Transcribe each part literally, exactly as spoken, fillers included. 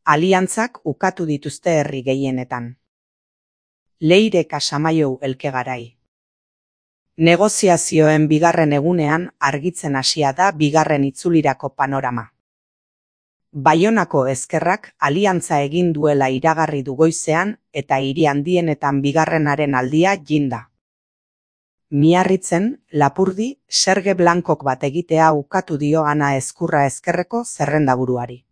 Aliantzak ukatu dituzte herri gehienetan. Leire Casamaiou Elkegarai. Negoziazioen bigarren egunean argitzen hasia da bigarren itzulirako panorama. Baionako ezkerrak aliantza egin duela iragarri du goizean eta hiri handienetan bigarrenaren aldia jinda. Miarritzen, Lapurdi, Serge Blancok bat egitea ukatu dio Ana Ezkurra ezkerreko zerrendaburuari.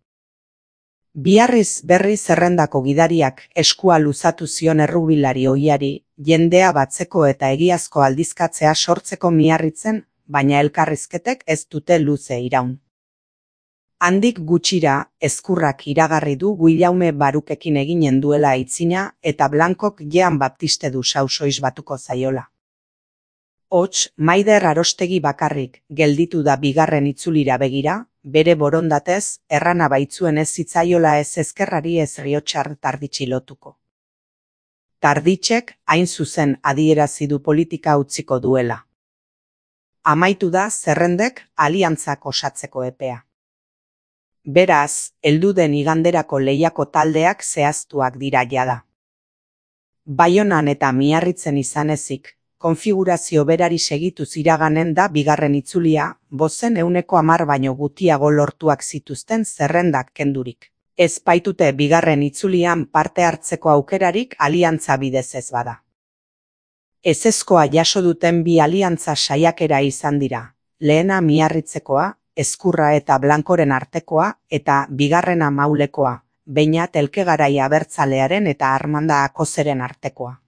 Biarriz berri zerrendako gidariak eskua luzatu zion errubilari ohiari, jendea batzeko eta egiazko aldizkatzea sortzeko miarritzen, baina elkarrizketek ez dute luze iraun. Handik gutxira, Ezkurrak iragarri du Guillaume Barukekin eginen duela aitzina eta Blancok Jean Baptiste du sausoiz batuko zaiola. Hots, Maider Arostegi bakarrik gelditu da bigarren itzulira begira, bere borondatez, errana baitzuen ez zitzaiola ez ezkerrari ez Riotxar Tarditxi lotuko. Tarditxek hain zuzen adierazi du politika utziko duela. Amaitu da zerrendek aliantzak osatzeko epea. Beraz, heldu den iganderako lehiako taldeak zehaztuak dira jada. Baionan eta Miarritzen izan ezik, konfigurazio berari segituz iraganen da bigarren itzulia, bozen euneko hamar baino gutiago lortuak zituzten zerrendak kendurik. Ez baitute bigarren itzulian parte hartzeko aukerarik aliantza bidez ez bada. Ezezkoa jaso duten bi aliantza saiakera izan dira, lehena Miarritzekoa, Ezkurra eta Blankoren artekoa eta bigarrena Maulekoa, Beñat Elkegarai abertzalearen eta Armanda Akozeren artekoa.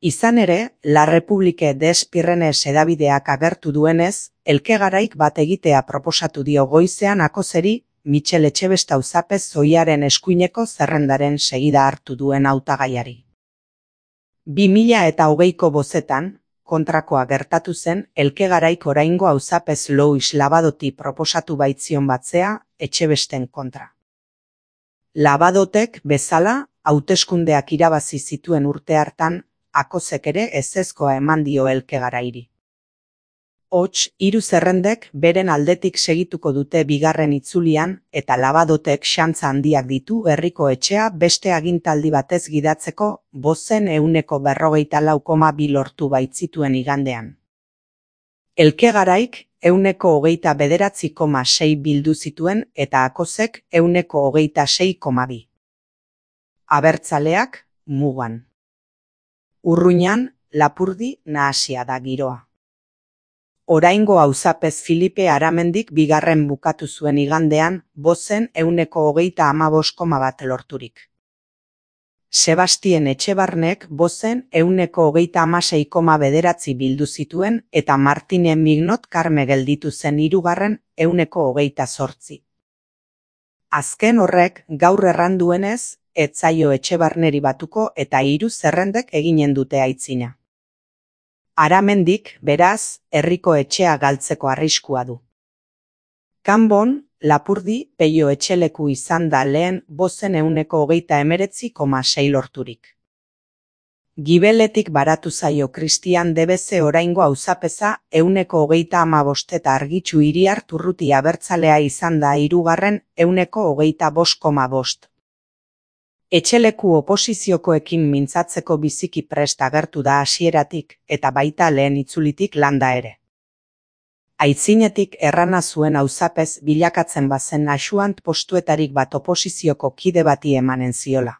Izan ere, La Republique des Pyrenees hedabideak agertu duenez, Elkegaraik bat egitea proposatu dio goizean Akozeri, Michel Etxebest auzapez zoiaren eskuineko zerrendaren segida hartu duen hautagaiari. Bi mila eta hogeiko bozetan, kontrakoa gertatu zen, Elkegaraik oraingo auzapez Louis Labadoti proposatu baitzion batzea, Etxebesten kontra. Labadotek bezala, hauteskundeak irabazi zituen urte hartan, Akozek ere ezezkoa eman dio Elkegarairi. Hots, hiru zerrendek beren aldetik segituko dute bigarren itzulian eta Labadotek xantza handiak ditu herriko etxea beste agintaldi batez gidatzeko bozen euneko berrogeita lau koma bi lortu baitzituen igandean. Elkegaraik euneko hogeita bederatzi koma sei bildu zituen eta Akozek euneko hogeita sei koma bi. Abertzaleak, mugan. Urruñan, Lapurdi nahasia da giroa. Oraingo auzapez Filipe Aramendik bigarren bukatu zuen igandean, bozen euneko hogeita hamabost koma bat lorturik. Sebastien Etxebarnek bozen euneko hogeita hamasei koma bederatzi bildu zituen eta Martine Mignot Karme gelditu zen hirugarren euneko hogeita zortzi. Azken horrek gaur erran duenez, ez zaio Etxebarneri batuko eta hiru zerrendek eginen dute aitzina. Aramendik, beraz, herriko etxea galtzeko arriskua du. Kanbon, Lapurdi, Peio etxeleku izan da lehen bozen euneko hogeita emeretzi koma sei lorturik. Gibeletik baratu zaio Kristian Debeze oraingo auzapeza euneko hogeita hamabost eta Argitxu Iriart Urruti abertzalea izan da hirugarren euneko hogeita bost koma bost. Etxeleku oposiziokoekin mintzatzeko biziki prest agertu da hasieratik eta baita lehen itzulitik landa ere. Aitzinetik errana zuen auzapez bilakatzen bazen asuant postuetarik bat oposizioko kide bati emanen ziola.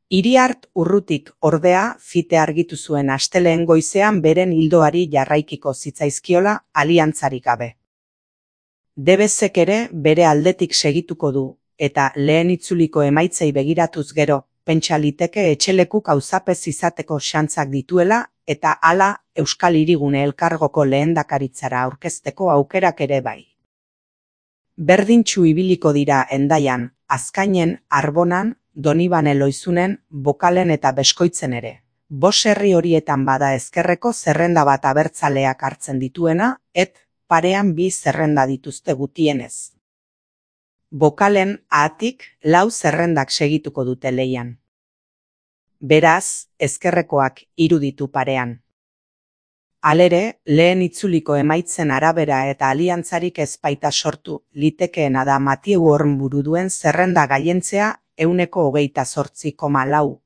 Iriart Urrutik ordea fite argitu zuen astelehen goizean beren hildoari jarraikiko zitzaizkiola aliantzarik gabe. Debezek ere bere aldetik segituko du, eta lehen itzuliko emaitzei begiratuz gero, pentsa liteke etxelekuk auzapez izateko xantzak dituela eta hala Euskal Hirigune elkargoko lehendakaritzara aurkezteko aukerak ere bai. Berdintxu ibiliko dira Hendaian, Azkainen, Arbonan, Donibane Loizunen, Bokalen eta Beskoitzen ere. Bos herri horietan bada ezkerreko zerrenda bat abertzaleak hartzen dituena, et parean bi zerrenda dituzte gutienez. Bokalen ahatik lau zerrendak segituko dute leian. Beraz, ezkerrekoak hiru ditu parean. Halere, lehen itzuliko emaitzen arabera eta aliantzarik ez baita sortu, litekeena da Mathieu Hornburu duen zerrenda gailentzea ehuneko hogeita zortzi koma lau